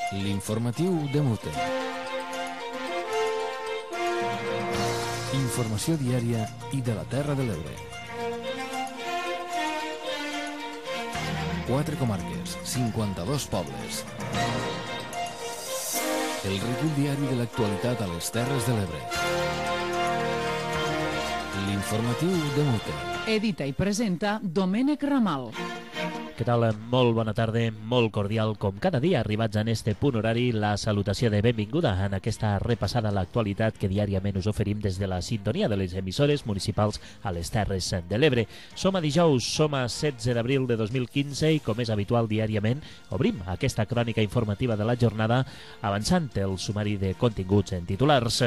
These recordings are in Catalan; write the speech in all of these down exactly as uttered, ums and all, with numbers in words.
L'informatiu de Mute. Informació diària i de la Terra de l'Ebre. Quatre comarques, cinquanta-dos pobles. El recull diari de l'actualitat a les Terres de l'Ebre. L'informatiu de Mute. Edita i presenta Domènec Ramal. Què tal? Molt bona tarda, molt cordial, com cada dia, arribats en este punt horari, la salutació de benvinguda en aquesta repassada a l'actualitat que diàriament us oferim des de la sintonia de les emissores municipals a les Terres de l'Ebre. Som a dijous, som a setze d'abril de dos mil quinze i, com és habitual diàriament, obrim aquesta crònica informativa de la jornada avançant el sumari de continguts en titulars.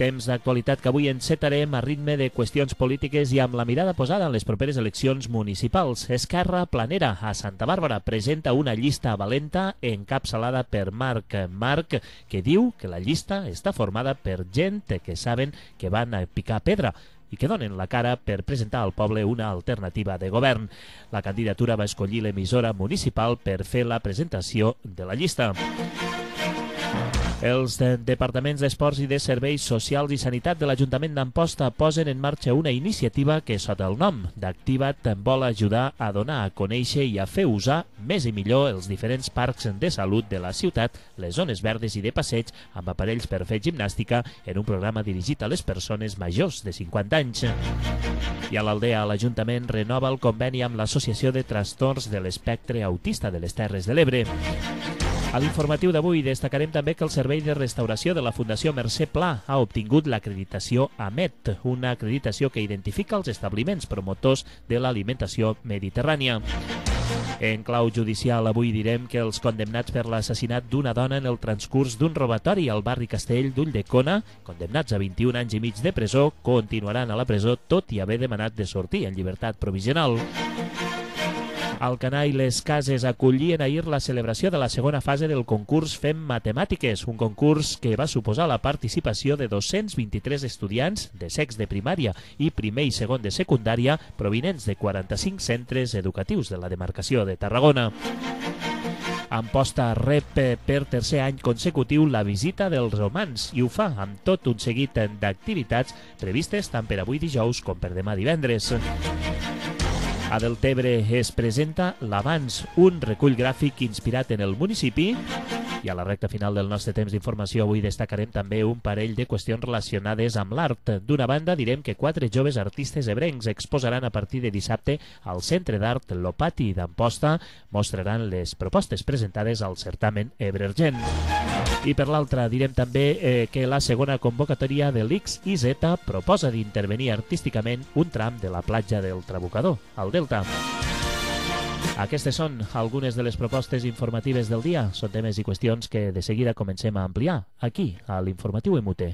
Temps d'actualitat que avui encetarem a ritme de qüestions polítiques i amb la mirada posada en les properes eleccions municipals. Esquerra Planera a Santa Bàrbara presenta una llista valenta encapçalada per Marc Marc, que diu que la llista està formada per gent que saben que van a picar pedra i que donen la cara per presentar al poble una alternativa de govern. La candidatura va escollir l'emissora municipal per fer la presentació de la llista. Els departaments d'Esports i de Serveis Socials i Sanitat de l'Ajuntament d'Amposta posen en marxa una iniciativa que, sota el nom d'Activa't, vol ajudar a donar a conèixer i a fer usar més i millor els diferents parcs de salut de la ciutat, les zones verdes i de passeig amb aparells per fer gimnàstica en un programa dirigit a les persones majors de cinquanta anys. I a l'Aldea, l'Ajuntament renova el conveni amb l'Associació de Trastorns de l'Espectre Autista de les Terres de l'Ebre. A l'informatiu d'avui destacarem també que el Servei de Restauració de la Fundació Mercè Pla ha obtingut l'acreditació A M E T, una acreditació que identifica els establiments promotors de l'alimentació mediterrània. En clau judicial, avui direm que els condemnats per l'assassinat d'una dona en el transcurs d'un robatori al barri Castell d'Ulldecona, condemnats a vint-i-un anys i mig de presó, continuaran a la presó tot i haver demanat de sortir en llibertat provisional. Alcanar i les Cases acollien ahir la celebració de la segona fase del concurs Fem Matemàtiques, un concurs que va suposar la participació de dos-cents vint-i-tres estudiants de sex de primària i primer i segon de secundària provinents de quaranta-cinc centres educatius de la demarcació de Tarragona. Amposta rep per tercer any consecutiu la visita dels romans i ho fa amb tot un seguit d'activitats previstes tant per avui dijous com per demà divendres. A Deltebre es presenta l'Avanç, un recull gràfic inspirat en el municipi. I a la recta final del nostre temps d'informació avui destacarem també un parell de qüestions relacionades amb l'art. D'una banda, direm que quatre joves artistes ebrencs exposaran a partir de dissabte al Centre d'Art Lopati d'Amposta, mostraran les propostes presentades al certamen Ebrergent. I per l'altra, direm també eh, que la segona convocatòria de l'X I Z proposa d'intervenir artísticament un tram de la platja del Trabucador, al Delta. Aquestes són algunes de les propostes informatives del dia. Són temes i qüestions que de seguida comencem a ampliar aquí, a l'Informatiu M U T.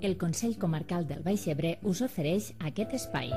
El Consell Comarcal del Baix Ebre us ofereix aquest espai.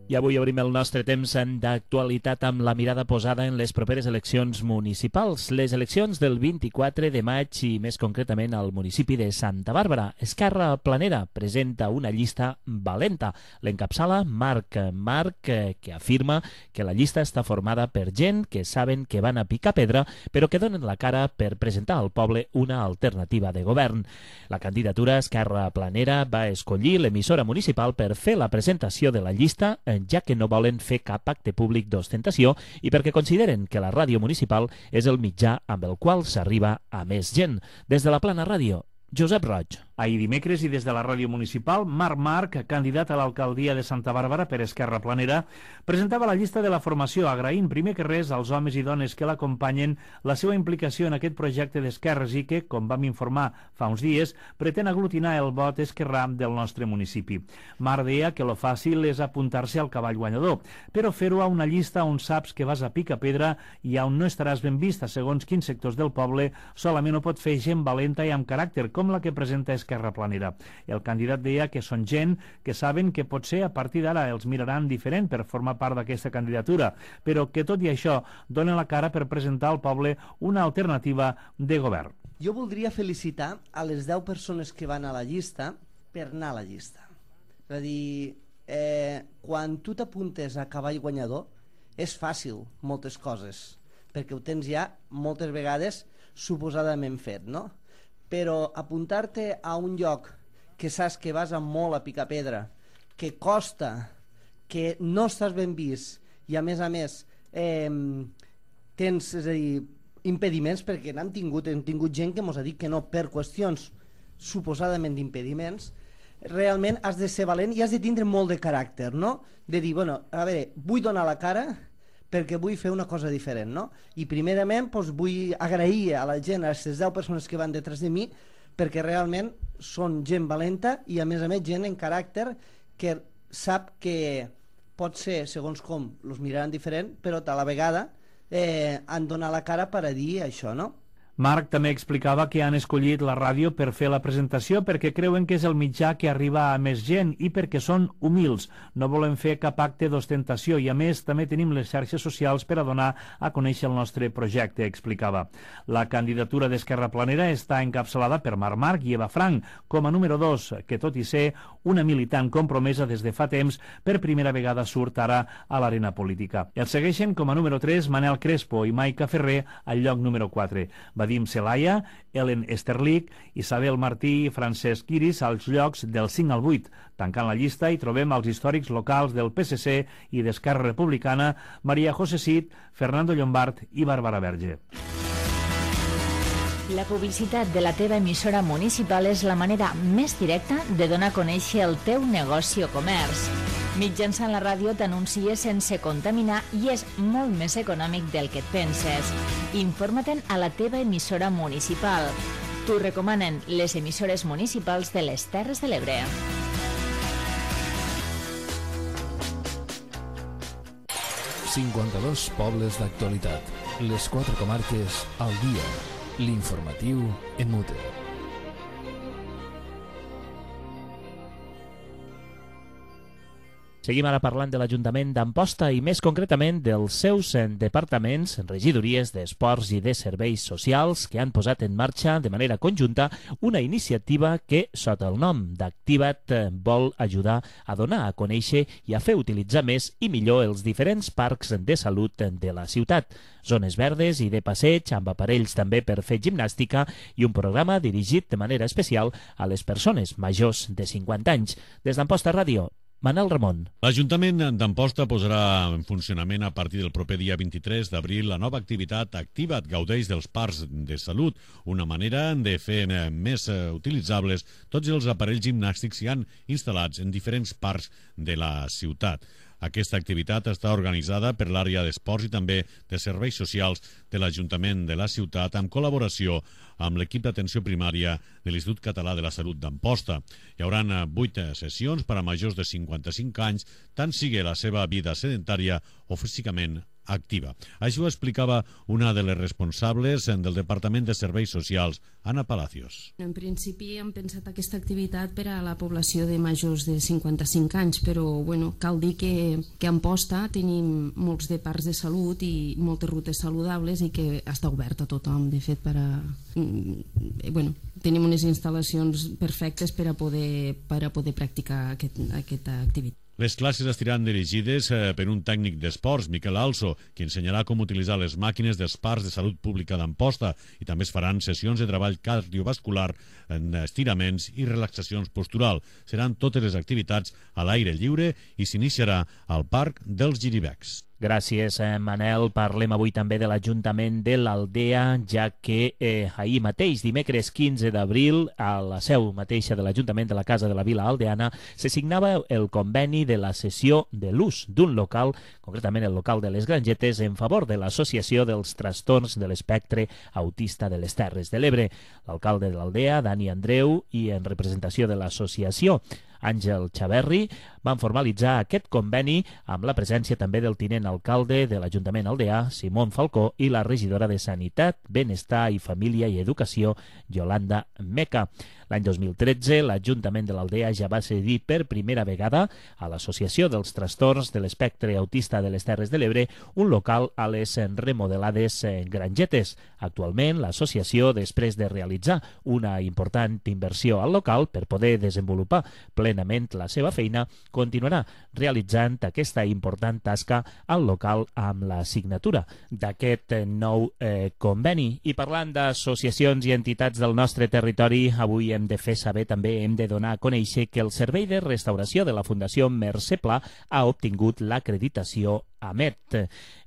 I avui obrim el nostre temps d'actualitat amb la mirada posada en les properes eleccions municipals. Les eleccions del vint-i-quatre de maig i més concretament al municipi de Santa Bàrbara. Esquerra Planera presenta una llista valenta. L'encapçala Marc Marc, que afirma que la llista està formada per gent que saben que van a picar pedra però que donen la cara per presentar al poble una alternativa de govern. La candidatura Esquerra Planera va escollir l'emissora municipal per fer la presentació de la llista, ja que no volen fer cap acte públic d'ostentació i perquè consideren que la ràdio municipal és el mitjà amb el qual s'arriba a més gent. Des de la Plana Ràdio, Josep Roig. Ahir dimecres i des de la ràdio municipal, Marc Marc, candidat a l'alcaldia de Santa Bàrbara per Esquerra Planera, presentava la llista de la formació, agraint primer que res als homes i dones que l'acompanyen la seva implicació en aquest projecte d'esquerres i que, com vam informar fa uns dies, pretén aglutinar el vot esquerrà del nostre municipi. Marc deia que lo fàcil és apuntar-se al cavall guanyador, però fer-ho a una llista on saps que vas a picar pedra i on no estaràs ben vista segons quins sectors del poble, solament ho pot fer gent valenta i amb caràcter, com la que presenta Esquerra Esquerra Planera. El candidat deia que són gent que saben que potser a partir d'ara els miraran diferent per formar part d'aquesta candidatura, però que tot i això donen la cara per presentar al poble una alternativa de govern. Jo voldria felicitar a les deu persones que van a la llista per anar a la llista. És a dir, eh, quan tu t'apuntes a cavall guanyador és fàcil moltes coses, perquè ho tens ja moltes vegades suposadament fet, no? Però apuntar-te a un lloc que saps que vas amb molt a picar pedra, que costa, que no estàs ben vist i a més a més eh, tens, és a dir, impediments, perquè n'han tingut, hem tingut gent que ens ha dit que no per qüestions suposadament d'impediments, realment has de ser valent i has de tindre molt de caràcter, no? De dir, bueno, a veure, vull donar la cara perquè vull fer una cosa diferent, no? I primerament doncs, vull agrair a la gent, a les deu persones que van detrás de mi, perquè realment són gent valenta i a més a més gent en caràcter que sap que pot ser, segons com, els miraran diferent, però a la vegada eh, han donat la cara per a dir això, no? Marc també explicava que han escollit la ràdio per fer la presentació perquè creuen que és el mitjà que arriba a més gent i perquè són humils. No volen fer cap acte d'ostentació i, a més, també tenim les xarxes socials per a donar a conèixer el nostre projecte, explicava. La candidatura d'Esquerra Planera està encapçalada per Marc Marc i Eva Frank com a número dos, que tot i ser una militant compromesa des de fa temps, per primera vegada surt ara a l'arena política. El segueixen com a número tres Manel Crespo i Maica Ferrer al lloc número quatre. Vadim Celaya, Ellen Esterlich, Isabel Martí i Francesc Iris als llocs del cinc al vuit. Tancant la llista hi trobem els històrics locals del P S C i d'Esquerra Republicana, Maria José Cid, Fernando Llombart i Bàrbara Verge. La publicitat de la teva emissora municipal és la manera més directa de donar a conèixer el teu negoci o comerç. Mitjançant la ràdio t'anuncies sense contaminar i és molt més econòmic del que et penses. Informa-te'n a la teva emissora municipal. T'ho recomanen les emissores municipals de les Terres de l'Ebre. cinquanta-dos pobles d'actualitat. Les quatre comarques al dia. L'informatiu en mute. Seguim ara parlant de l'Ajuntament d'Amposta i més concretament dels seus departaments, regidories d'Esports i de Serveis Socials que han posat en marxa de manera conjunta una iniciativa que, sota el nom d'Activa't, vol ajudar a donar a conèixer i a fer utilitzar més i millor els diferents parcs de salut de la ciutat. Zones verdes i de passeig, amb aparells també per fer gimnàstica i un programa dirigit de manera especial a les persones majors de cinquanta anys. Des d'Amposta Ràdio, Manel Ramon. L'Ajuntament d'Amposta posarà en funcionament a partir del proper dia vint-i-tres d'abril la nova activitat Activa't, gaudeix dels parcs de salut, una manera de fer més utilitzables tots els aparells gimnàstics que han instal·lats en diferents parcs de la ciutat. Aquesta activitat està organitzada per l'àrea d'esports i també de serveis socials de l'Ajuntament de la ciutat en col·laboració amb l'equip d'atenció primària de l'Institut Català de la Salut d'Amposta. Hi haurà vuit sessions per a majors de cinquanta-cinc anys, tant sigui la seva vida sedentària o físicament activa. Això ho explicava una de les responsables del Departament de Serveis Socials, Anna Palacios. En principi hem pensat aquesta activitat per a la població de majors de cinquanta-cinc anys, però bueno, cal dir que, que a Amposta tenim molts de parcs de salut i moltes rutes saludables i que està obert a tothom. De fet, per a, bueno, tenim unes instal·lacions perfectes per a poder, per a poder practicar aquest, aquesta activitat. Les classes estiran dirigides per un tècnic d'esports, Miquel Also, qui ensenyarà com utilitzar les màquines dels parcs de salut pública d'Amposta i també es faran sessions de treball cardiovascular, estiraments i relaxacions postural. Seran totes les activitats a l'aire lliure i s'iniciarà al Parc dels Giribecs. Gràcies, Manel. Parlem avui també de l'Ajuntament de l'Aldea, ja que eh, ahir mateix, dimecres quinze d'abril, a la seu mateixa de l'Ajuntament de la Casa de la Vila Aldeana, se signava el conveni de la cessió de l'ús d'un local, concretament el local de les Grangetes, en favor de l'Associació dels Trastorns de l'Espectre Autista de les Terres de l'Ebre. L'alcalde de l'Aldea, Dani Andreu, i en representació de l'associació, Àngel Xaverri, van formalitzar aquest conveni amb la presència també del tinent alcalde de l'Ajuntament aldeà, Simón Falcó, i la regidora de Sanitat, Benestar i Família i Educació, Yolanda Meca. L'any dos mil tretze, l'Ajuntament de l'Aldea ja va cedir per primera vegada a l'Associació dels Trastorns de l'Espectre Autista de les Terres de l'Ebre un local a les remodelades Grangetes. Actualment, l'associació, després de realitzar una important inversió al local per poder desenvolupar plenament la seva feina, continuarà realitzant aquesta important tasca al local amb la signatura d'aquest nou eh, conveni. I parlant d'associacions i entitats del nostre territori, avui hem de fer saber, també hem de donar a conèixer que el Servei de Restauració de la Fundació Mercè Pla ha obtingut l'acreditació A M E T.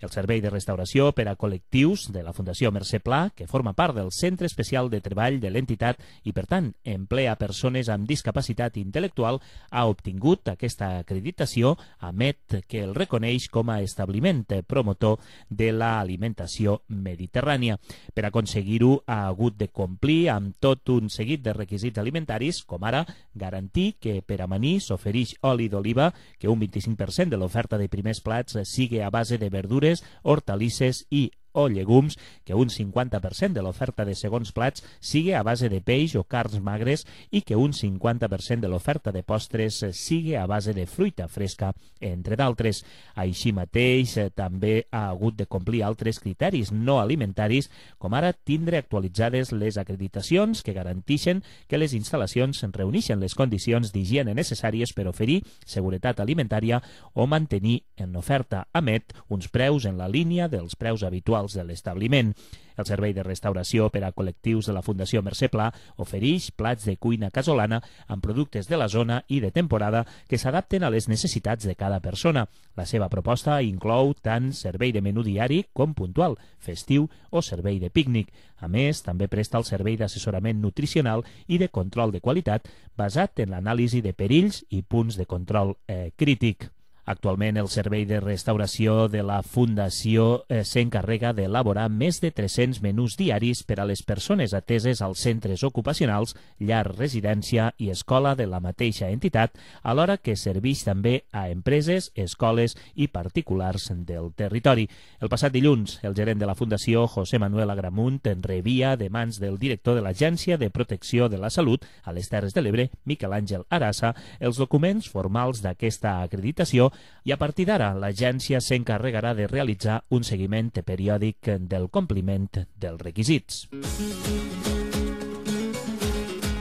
El Servei de Restauració per a Col·lectius de la Fundació Mercè Pla, que forma part del Centre Especial de Treball de l'entitat i, per tant, emplea persones amb discapacitat intel·lectual, ha obtingut aquesta acreditació A M E T, que el reconeix com a establiment promotor de l'alimentació mediterrània. Per aconseguir-ho, ha hagut de complir amb tot un seguit de requisits alimentaris, com ara garantir que per amanir s'ofereix oli d'oliva, que un vint-i-cinc per cent de l'oferta de primers plats sigui a base de verdures, hortalisses i o llegums, que un cinquanta per cent de l'oferta de segons plats sigui a base de peix o carns magres i que un cinquanta per cent de l'oferta de postres sigui a base de fruita fresca, entre d'altres. Així mateix, també ha hagut de complir altres criteris no alimentaris, com ara tindre actualitzades les acreditacions que garanteixen que les instal·lacions reuneixen les condicions d'higiene necessàries per oferir seguretat alimentària o mantenir en oferta A M E T uns preus en la línia dels preus habituals de l'establiment. El Servei de Restauració per a Col·lectius de la Fundació Mercè Pla ofereix plats de cuina casolana amb productes de la zona i de temporada que s'adapten a les necessitats de cada persona. La seva proposta inclou tant servei de menú diari com puntual, festiu o servei de pícnic. A més, també presta el servei d'assessorament nutricional i de control de qualitat basat en l'anàlisi de perills i punts de control eh, crític. Actualment, el Servei de Restauració de la Fundació eh, s'encarrega d'elaborar més de tres-cents menús diaris per a les persones ateses als centres ocupacionals, llar, residència i escola de la mateixa entitat, alhora que serveix també a empreses, escoles i particulars del territori. El passat dilluns, el gerent de la Fundació, José Manuel Agramunt, rebia de mans del director de l'Agència de Protecció de la Salut a les Terres de l'Ebre, Miquel Àngel Arassa, els documents formals d'aquesta acreditació, i a partir d'ara l'agència s'encarregarà de realitzar un seguiment periòdic del compliment dels requisits.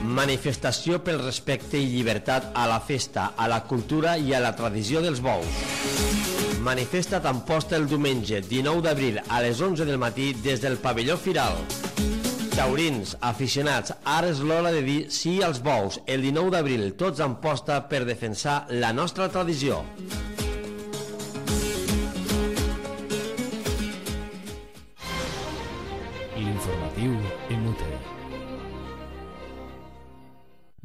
Manifestació pel respecte i llibertat a la festa, a la cultura i a la tradició dels bous. Manifesta d'Amposta el diumenge dinou d'abril a les onze del matí des del pavelló Firal. Taurins, aficionats, ara és l'hora de dir sí als bous. El dinou d'abril, tots a Amposta per defensar la nostra tradició. L'informatiu Inútil.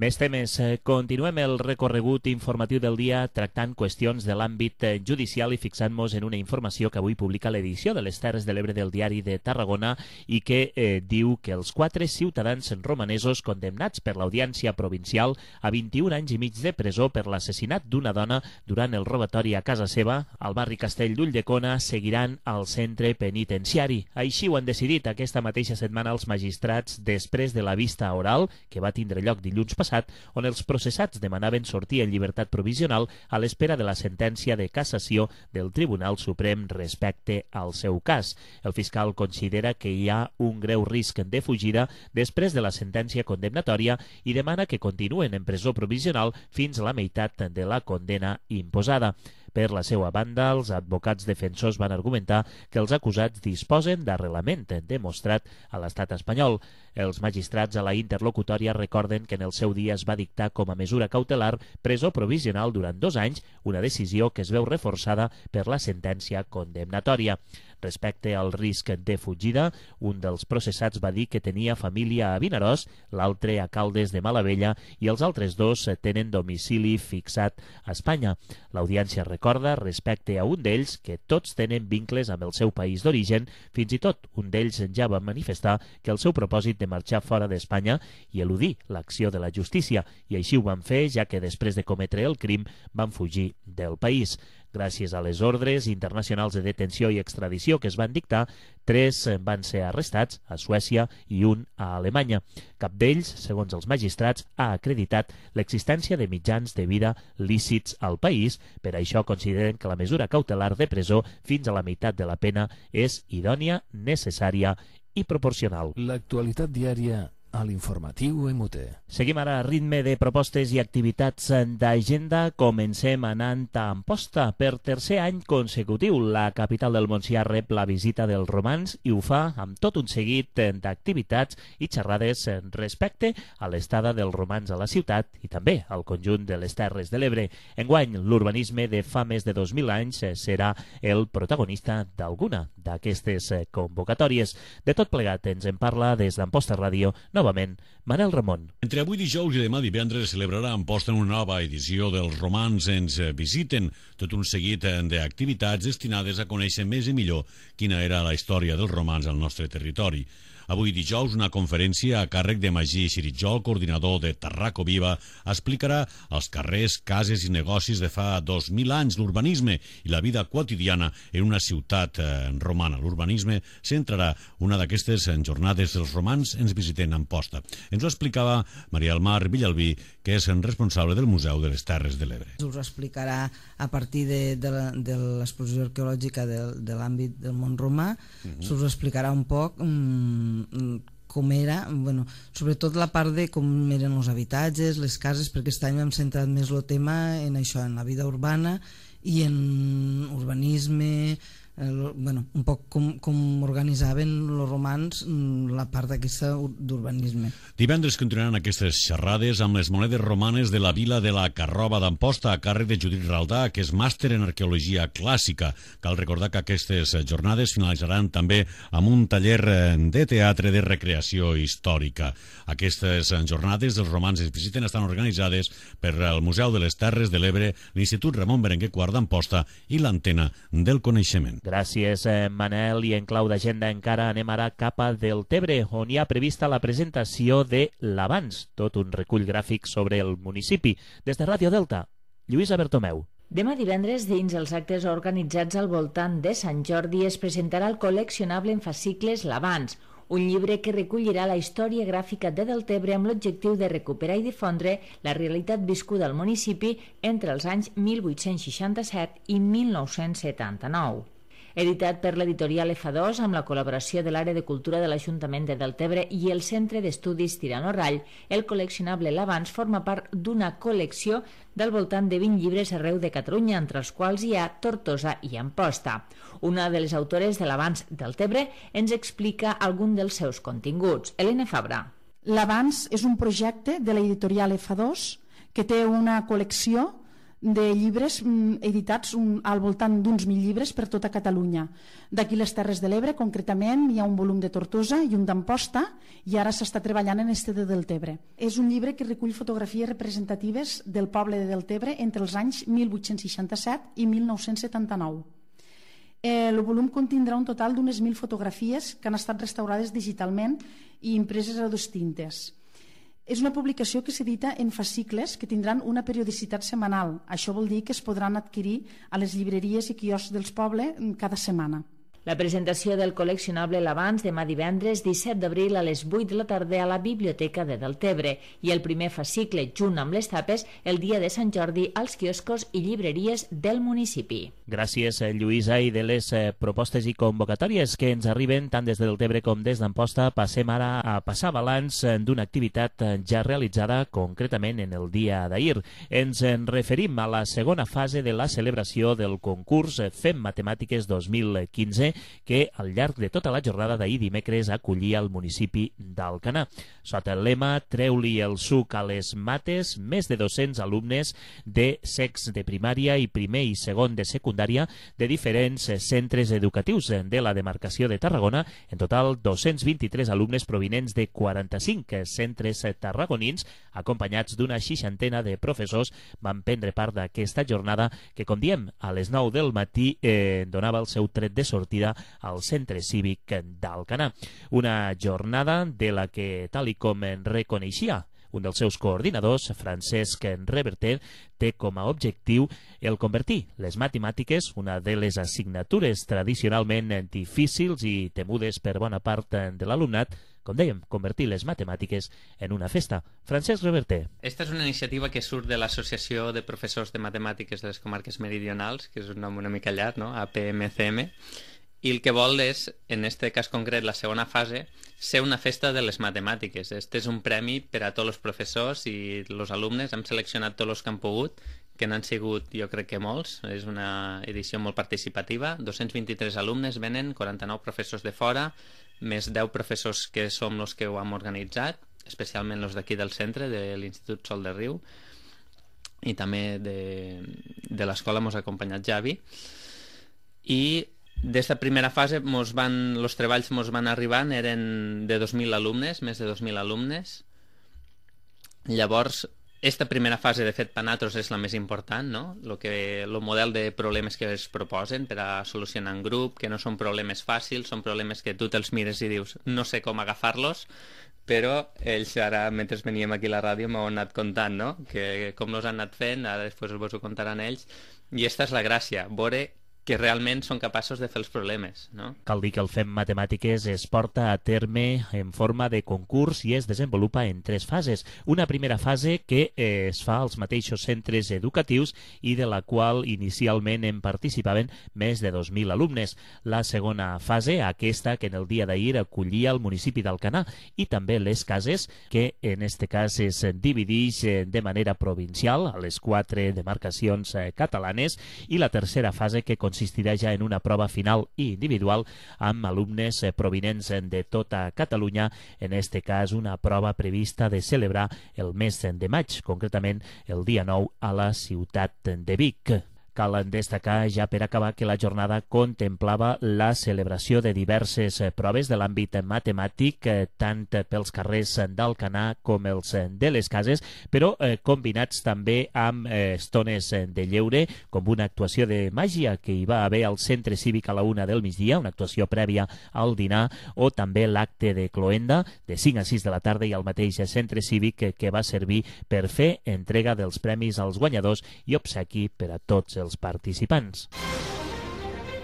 Més temes. Continuem el recorregut informatiu del dia tractant qüestions de l'àmbit judicial i fixant-nos en una informació que avui publica l'edició de les Terres de l'Ebre del Diari de Tarragona i que eh, diu que els quatre ciutadans romanesos condemnats per l'Audiència Provincial a vint-i-un anys i mig de presó per l'assassinat d'una dona durant el robatori a casa seva al barri Castell d'Ulldecona seguiran al centre penitenciari. Així ho han decidit aquesta mateixa setmana els magistrats després de la vista oral que va tindre lloc dilluns passat, on els processats demanaven sortir en llibertat provisional a l'espera de la sentència de cassació del Tribunal Suprem respecte al seu cas. El fiscal considera que hi ha un greu risc de fugida després de la sentència condemnatòria i demana que continuen en presó provisional fins a la meitat de la condena imposada. Per la seva banda, els advocats defensors van argumentar que els acusats disposen d'arrelament demostrat a l'estat espanyol. Els magistrats a la interlocutòria recorden que en el seu dia es va dictar com a mesura cautelar presó provisional durant dos anys, una decisió que es veu reforçada per la sentència condemnatòria. Respecte al risc de fugida, un dels processats va dir que tenia família a Vinaròs, l'altre a Caldes de Malavella i els altres dos tenen domicili fixat a Espanya. L'audiència recorda respecte a un d'ells que tots tenen vincles amb el seu país d'origen, fins i tot un d'ells ja va manifestar que el seu propòsit de marxar fora d'Espanya i eludir l'acció de la justícia, i així ho van fer ja que després de cometre el crim van fugir del país. Gràcies a les ordres internacionals de detenció i extradició que es van dictar, tres van ser arrestats a Suècia i un a Alemanya. Cap d'ells, segons els magistrats, ha acreditat l'existència de mitjans de vida lícits al país. Per això consideren que la mesura cautelar de presó fins a la meitat de la pena és idònia, necessària i proporcional. L'actualitat diària a l'informatiu M T. Seguim ara a ritme de propostes i activitats d'agenda. Comencem anant a Amposta. Per tercer any consecutiu, la capital del Montsià rep la visita dels romans i ho fa amb tot un seguit d'activitats i xerrades respecte a l'estada dels romans a la ciutat i també al conjunt de les Terres de l'Ebre. Enguany, l'urbanisme de fa més de dos mil anys serà el protagonista d'alguna d'aquestes convocatòries. De tot plegat ens en parla des d'Amposta Ràdio, novament, Manel Ramon. Entre avui dijous i demà divendres celebrarà a Amposta una nova edició dels Romans ens visiten, tot un seguit d'activitats destinades a conèixer més i millor quina era la història dels romans al nostre territori. Avui dijous, una conferència a càrrec de Magí Xiritjol, coordinador de Tarraco Viva, explicarà els carrers, cases i negocis de fa dos mil anys, l'urbanisme i la vida quotidiana en una ciutat eh, romana. L'urbanisme centrarà una d'aquestes jornades dels romans ens visiten a Amposta. Ens ho explicava Maria del Mar Villalbí, que és responsable del Museu de les Terres de l'Ebre. Us ho explicarà a partir de, de, la, de l'exposició arqueològica de, de l'àmbit del món romà. Uh-huh. Us ho explicarà un poc um, com era, bueno, sobretot la part de com eren els habitatges, les cases, perquè aquest any hem centrat més el tema en això, en la vida urbana i en urbanisme, eh, bueno, un poc com, com organitzaven els romans la part d'aquesta d'urbanisme. Divendres continuaran aquestes xerrades amb les monedes romanes de la vila de la Carroba d'Amposta a càrrec de Judit Raldà, que és màster en arqueologia clàssica. Cal recordar que aquestes jornades finalitzaran també amb un taller de teatre de recreació històrica. Aquestes jornades dels romans es visiten estan organitzades per el Museu de les Terres de l'Ebre, l'Institut Ramon Berenguer quart d'Amposta i l'Antena del Coneixement. Gràcies, Manel. I en clau d'agenda encara anem ara cap a Deltebre, on hi ha prevista la presentació de l'Abans, tot un recull gràfic sobre el municipi. Des de Ràdio Delta, Lluïsa Bertomeu. Demà divendres, dins els actes organitzats al voltant de Sant Jordi, es presentarà el col·leccionable en fascicles L'Abans, un llibre que recollirà la història gràfica de Deltebre amb l'objectiu de recuperar i difondre la realitat viscuda al municipi entre els anys mil vuit-cents seixanta-set i mil nou-cents setanta-nou. Editat per l'editorial F dos amb la col·laboració de l'Àrea de Cultura de l'Ajuntament de Deltebre i el Centre d'Estudis Tirano Rall, el col·leccionable L'Abans forma part d'una col·lecció del voltant de vint llibres arreu de Catalunya, entre els quals hi ha Tortosa i Amposta. Una de les autores de l'Abans Deltebre ens explica algun dels seus continguts. Helena Fabra. L'Abans és un projecte de l'editorial F dos que té una col·lecció de llibres editats al voltant d'uns mil llibres per tota Catalunya. D'aquí les Terres de l'Ebre, concretament, hi ha un volum de Tortosa i un d'Amposta, i ara s'està treballant en este de Deltebre. És un llibre que recull fotografies representatives del poble de Deltebre entre els anys mil vuit-cents seixanta-set i mil nou-cents setanta-nou. El volum contindrà un total d'unes mil fotografies que han estat restaurades digitalment i impreses a dos tintes. És una publicació que s'edita en fascicles que tindran una periodicitat setmanal. Això vol dir que es podran adquirir a les llibreries i quioscs dels pobles cada setmana. La presentació del col·leccionable L'Abans demà divendres disset d'abril a les vuit de la tarda a la Biblioteca de Deltebre i el primer fascicle, junt amb les tapes, el dia de Sant Jordi als quioscos i llibreries del municipi. Gràcies, Lluïsa. I de les eh, propostes i convocatòries que ens arriben tant des de Deltebre com des d'Amposta, passem ara a passar balanç d'una activitat ja realitzada concretament en el dia d'ahir. Ens en referim a la segona fase de la celebració del concurs Fem Matemàtiques dos mil quinze, que al llarg de tota la jornada d'ahir dimecres acollia el municipi d'Alcanar. Sota el lema Treu-li el suc a les mates, més de dos-cents alumnes de sex de primària i primer i segon de secundària de diferents centres educatius de la demarcació de Tarragona, en total dos-cents vint-i-tres alumnes provinents de quaranta-cinc centres tarragonins, acompanyats d'una seixantena de professors, van prendre part d'aquesta jornada que, com diem, a les nou del matí eh, donava el seu tret de sortida al Centre Cívic d'Alcanar. Una jornada de la que, tal i com en reconeixia Un dels seus coordinadors, Francesc Reverter, té com a objectiu el convertir les matemàtiques, una de les assignatures tradicionalment difícils i temudes per bona part de l'alumnat, com dèiem, convertir les matemàtiques en una festa. Francesc Reverter. Esta és una iniciativa que surt de l'Associació de Professors de Matemàtiques de les Comarques Meridionals, que és un nom una mica llarg, no? A P M C M, i el que vol és, en este cas concret, la segona fase, ser una festa de les matemàtiques. Este és un premi per a tots els professors i els alumnes. Hem seleccionat tots els que han pogut, que n'han sigut, jo crec que molts. És una edició molt participativa. dos-cents vint-i-tres alumnes venen, quaranta-nou professors de fora, més deu professors que som els que ho hem organitzat, especialment els d'aquí del centre, de l'Institut Sol de Riu, i també de, de l'escola mos ha acompanyat Javi. I d'esta primera fase mos van, els treballs mos van arribant, eren de dos mil alumnes, més de dos mil alumnes. Llavors, esta primera fase, de fet, per nosaltres és la més important, no? Lo que, el model de problemes que es proposen per a solucionar en grup, que no són problemes fàcils, són problemes que tu te'ls mires i dius no sé com agafar-los, però ells ara, mentre veníem aquí a la ràdio, m'ho han anat contant, no? Que com els han anat fent, ara després vos ho contaran ells, i esta és la gràcia, veure que realment són capaços de fer els problemes, no? Cal dir que el Fem Matemàtiques es porta a terme en forma de concurs i es desenvolupa en tres fases. Una primera fase que eh, es fa als mateixos centres educatius i de la qual inicialment en participaven més de dos mil alumnes. La segona fase, aquesta que en el dia d'ahir acollia el municipi d'Alcanar, i també les cases, que en este cas es divideix de manera provincial a les quatre demarcacions eh, catalanes, i la tercera fase que consistirà ja en una prova final i individual amb alumnes provinents de tota Catalunya, en este cas una prova prevista de celebrar el mes de maig, concretament el dia nou a la ciutat de Vic. Cal destacar, ja per acabar, que la jornada contemplava la celebració de diverses proves de l'àmbit matemàtic, tant pels carrers d'Alcanar com els de les cases, però eh, combinats també amb eh, estones de lleure, com una actuació de màgia que hi va haver al Centre Cívic a la una del migdia, una actuació prèvia al dinar, o també l'acte de cloenda de cinc a sis de la tarda i al mateix Centre Cívic que, que va servir per fer entrega dels premis als guanyadors i obsequi per a tots els participants.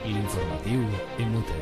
L'informatiu en Mute.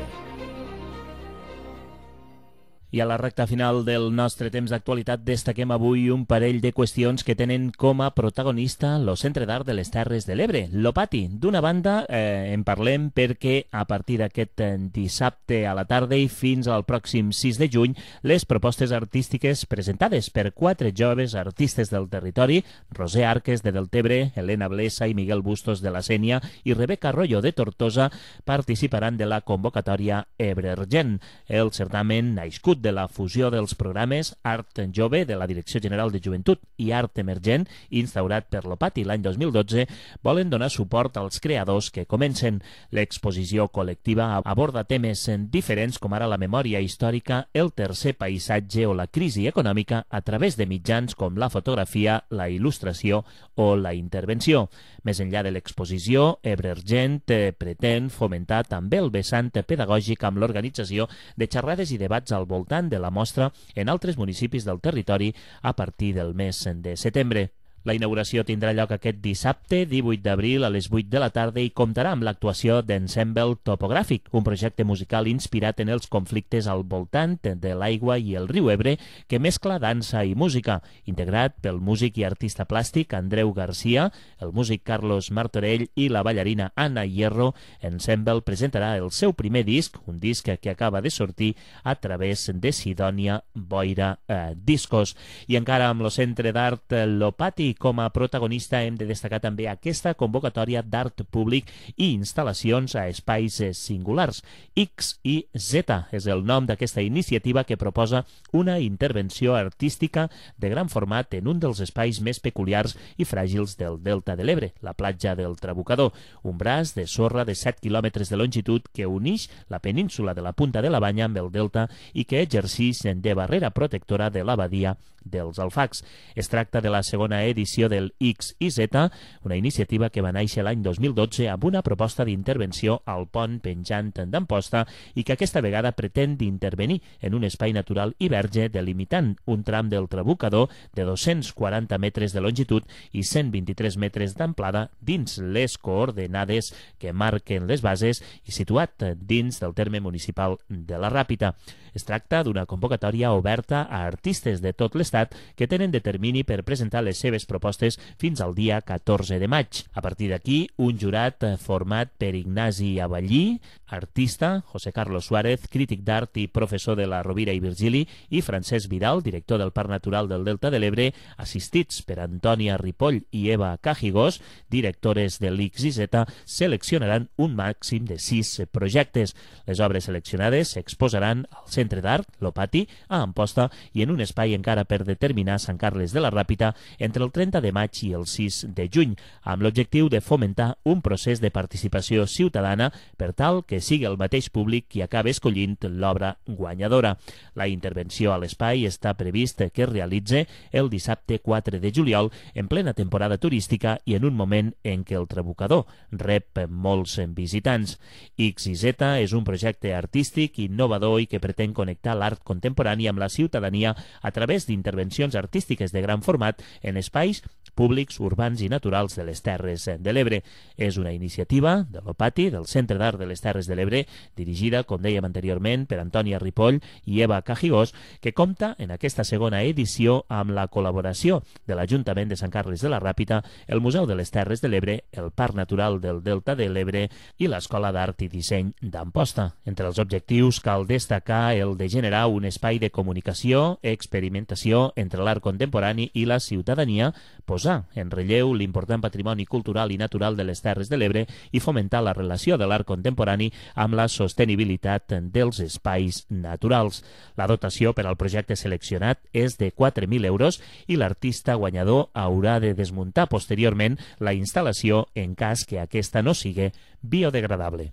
I a la recta final del nostre temps d'actualitat destaquem avui un parell de qüestions que tenen com a protagonista el Centre d'Art de les Terres de l'Ebre, l'Opati. D'una banda, eh, en parlem perquè a partir d'aquest dissabte a la tarda i fins al pròxim sis de juny, les propostes artístiques presentades per quatre joves artistes del territori, Roser Arques de Deltebre, Helena Blesa i Miguel Bustos de la Sénia i Rebeca Arroyo de Tortosa, participaran de la convocatòria Ebre Argent. El certamen nascut de la fusió dels programes Art Jove de la Direcció General de Joventut i Art Emergent, instaurat per l'Opati l'any dos mil dotze, volen donar suport als creadors que comencen. L'exposició col·lectiva aborda temes diferents com ara la memòria històrica, el tercer paisatge o la crisi econòmica a través de mitjans com la fotografia, la il·lustració o la intervenció. Més enllà de l'exposició, Ebre Argent pretén fomentar també el vessant pedagògic amb l'organització de xerrades i debats al voltant de la mostra en altres municipis del territori a partir del mes de setembre. La inauguració tindrà lloc aquest dissabte, divuit d'abril, a les vuit de la tarda i comptarà amb l'actuació d'Ensemble Topogràfic, un projecte musical inspirat en els conflictes al voltant de l'aigua i el riu Ebre que mescla dansa i música, integrat pel músic i artista plàstic Andreu Garcia, el músic Carlos Martorell i la ballarina Anna Hierro. Ensemble presentarà el seu primer disc, un disc que acaba de sortir a través de Sidònia Boira eh, Discos. I encara amb el Centre d'Art l'Opati com a protagonista hem de destacar també aquesta convocatòria d'art públic i instal·lacions a espais singulars. X i Z és el nom d'aquesta iniciativa que proposa una intervenció artística de gran format en un dels espais més peculiars i fràgils del Delta de l'Ebre, la platja del Trabucador, un braç de sorra de set quilòmetres de longitud que uneix la península de la Punta de la Banya amb el Delta i que exerceix de barrera protectora de la badia dels Alfacs. Es tracta de la segona edició edició del X i Z, una iniciativa que va néixer l'any dos mil dotze amb una proposta d'intervenció al pont penjant d'Amposta i que aquesta vegada pretén d'intervenir en un espai natural i verge delimitant un tram del Trabucador de dos-cents quaranta metres de longitud i cent vint-i-tres metres d'amplada dins les coordenades que marquen les bases i situat dins del terme municipal de la Ràpita. Es tracta d'una convocatòria oberta a artistes de tot l'estat que tenen determini per presentar les seves propostes fins al dia catorze de maig. A partir d'aquí, un jurat format per Ignasi Avallí, artista, José Carlos Suárez, crític d'art i professor de la Rovira i Virgili, i Francesc Vidal, director del Parc Natural del Delta de l'Ebre, assistits per Antònia Ripoll i Eva Cajigós, directores de l'X i Z, seleccionaran un màxim de sis projectes. Les obres seleccionades s'exposaran al Centre d'Art, l'Opati, a Amposta i en un espai encara per determinar a Sant Carles de la Ràpita entre el trenta de maig i el sis de juny, amb l'objectiu de fomentar un procés de participació ciutadana per tal que sigui el mateix públic qui acaba escollint l'obra guanyadora. La intervenció a l'espai està previst que es realitzi el dissabte quatre de juliol en plena temporada turística i en un moment en què el Trabucador rep molts visitants. X i Z és un projecte artístic innovador i que pretén connectar l'art contemporani amb la ciutadania a través d'intervencions artístiques de gran format en espais públics, urbans i naturals de les Terres de l'Ebre. És una iniciativa de l'Opati, del Centre d'Art de les Terres de l'Ebre, dirigida, com dèiem anteriorment, per Antònia Ripoll i Eva Cajigós, que compta en aquesta segona edició amb la col·laboració de l'Ajuntament de Sant Carles de la Ràpita, el Museu de les Terres de l'Ebre, el Parc Natural del Delta de l'Ebre i l'Escola d'Art i Disseny d'Amposta. Entre els objectius cal destacar el de generar un espai de comunicació, experimentació entre l'art contemporani i la ciutadania, posar en relleu l'important patrimoni cultural i natural de les Terres de l'Ebre i fomentar la relació de l'art contemporani amb la sostenibilitat dels espais naturals. La dotació per al projecte seleccionat és de quatre mil euros i l'artista guanyador haurà de desmuntar posteriorment la instal·lació en cas que aquesta no sigui biodegradable.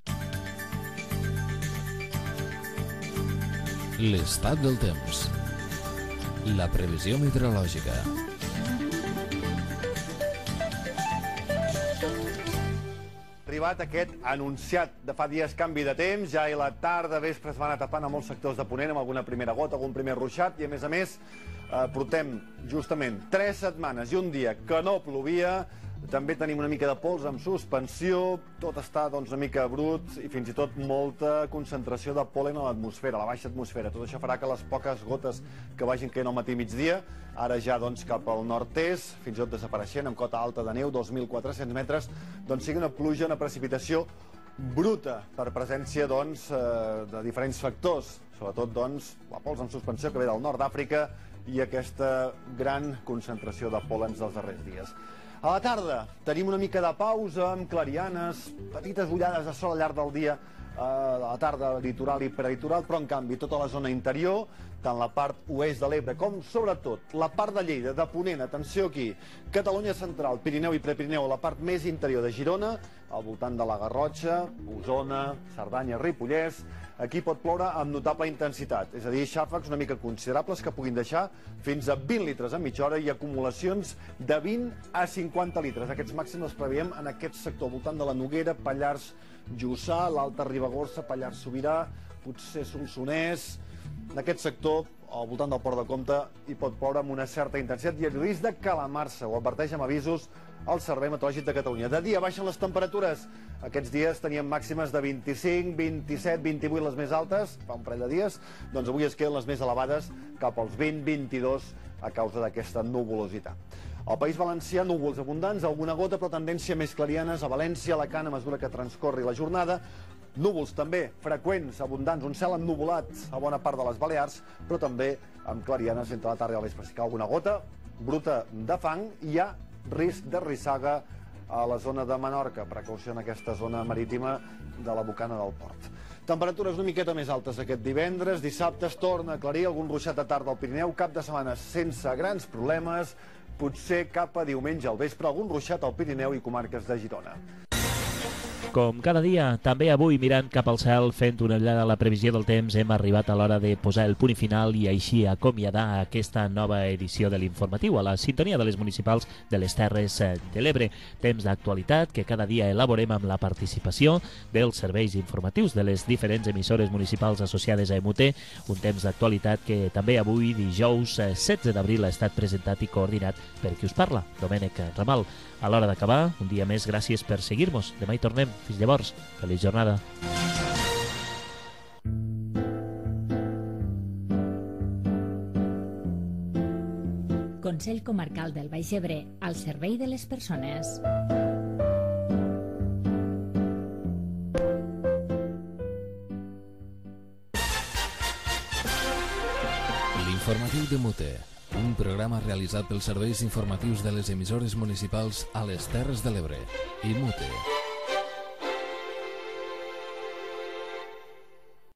L'estat del temps. La previsió meteorològica. Arribat aquest anunciat de fa dies canvi de temps, ja i la tarda, vespre es van atapant a molts sectors de Ponent amb alguna primera gota, algun primer ruixat, i a més a més eh, portem justament tres setmanes i un dia que no plovia. També tenim una mica de pols amb suspensió, tot està doncs, una mica brut i fins i tot molta concentració de pol·len a l'atmosfera, a la baixa atmosfera. Tot això farà que les poques gotes que vagin caient al matí i migdia, ara ja doncs, cap al nord-est, fins i tot desapareixent, amb cota alta de neu, dos mil quatre-cents metres, doncs sigui una pluja, una precipitació bruta per presència doncs, de diferents factors, sobretot doncs, la pols en suspensió que ve del nord d'Àfrica i aquesta gran concentració de pol·lens dels darrers dies. A la tarda tenim una mica de pausa amb clarianes, petites ullades de sol al llarg del dia, a la tarda litoral i prelitoral, però en canvi tota la zona interior, tant la part oest de l'Ebre com sobretot la part de Lleida, de Ponent, atenció aquí, Catalunya central, Pirineu i Prepirineu, la part més interior de Girona, al voltant de la Garrotxa, Osona, Cerdanya, Ripollès, aquí pot ploure amb notable intensitat, és a dir, xàfecs una mica considerables que puguin deixar fins a vint litres a mitja hora i acumulacions de vint a cinquanta litres. Aquests màxims els preveiem en aquest sector, al voltant de la Noguera, Pallars, Jussà, l'Alta Ribagorça, Pallars Sobirà, potser Solsonès. En aquest sector, al voltant del Port de Comte, hi pot ploure amb una certa intensitat i el risc de calamar-se, ho adverteix amb avisos el Servei Meteorològic de Catalunya. De dia baixen les temperatures. Aquests dies teníem màximes de vint-i-cinc, vint-i-set, vint-i-vuit les més altes, fa un parell de dies, doncs avui es queden les més elevades cap als vint a vint-i-dos a causa d'aquesta nuvolositat. Al País Valencià, núvols abundants, alguna gota, però tendència més clarianes a València, Alacant, a mesura que transcorri la jornada. Núvols també freqüents, abundants, un cel ennuvolat a bona part de les Balears, però també amb clarianes entre la tarda i el vespre. Si cau alguna gota, bruta de fang, hi ha risc de rissaga a la zona de Menorca. Precaució en aquesta zona marítima de la bocana del port. Temperatures una miqueta més altes aquest divendres. Dissabte es torna a aclarir, algun ruixat de tarda al Pirineu, cap de setmana sense grans problemes. Potser cap a diumenge al vespre algun ruixat al Pirineu i comarques de Girona. Com cada dia, també avui mirant cap al cel, fent una ullada a la previsió del temps, hem arribat a l'hora de posar el punt i final i així acomiadar aquesta nova edició de l'informatiu a la sintonia de les municipals de les Terres de l'Ebre. Temps d'actualitat que cada dia elaborem amb la participació dels serveis informatius de les diferents emissores municipals associades a E M U T, un temps d'actualitat que també avui, dijous setze d'abril, ha estat presentat i coordinat per qui us parla, Domènec Ramal. A l'hora d'acabar, un dia més, gràcies per seguir-nos. Demà hi tornem. Fins llavors, feliç jornada. Consell Comarcal del Baix Ebre, al servei de les persones. L'informatiu de Mute, un programa realitzat pels serveis informatius de les emissores municipals a les Terres de l'Ebre. I Mute.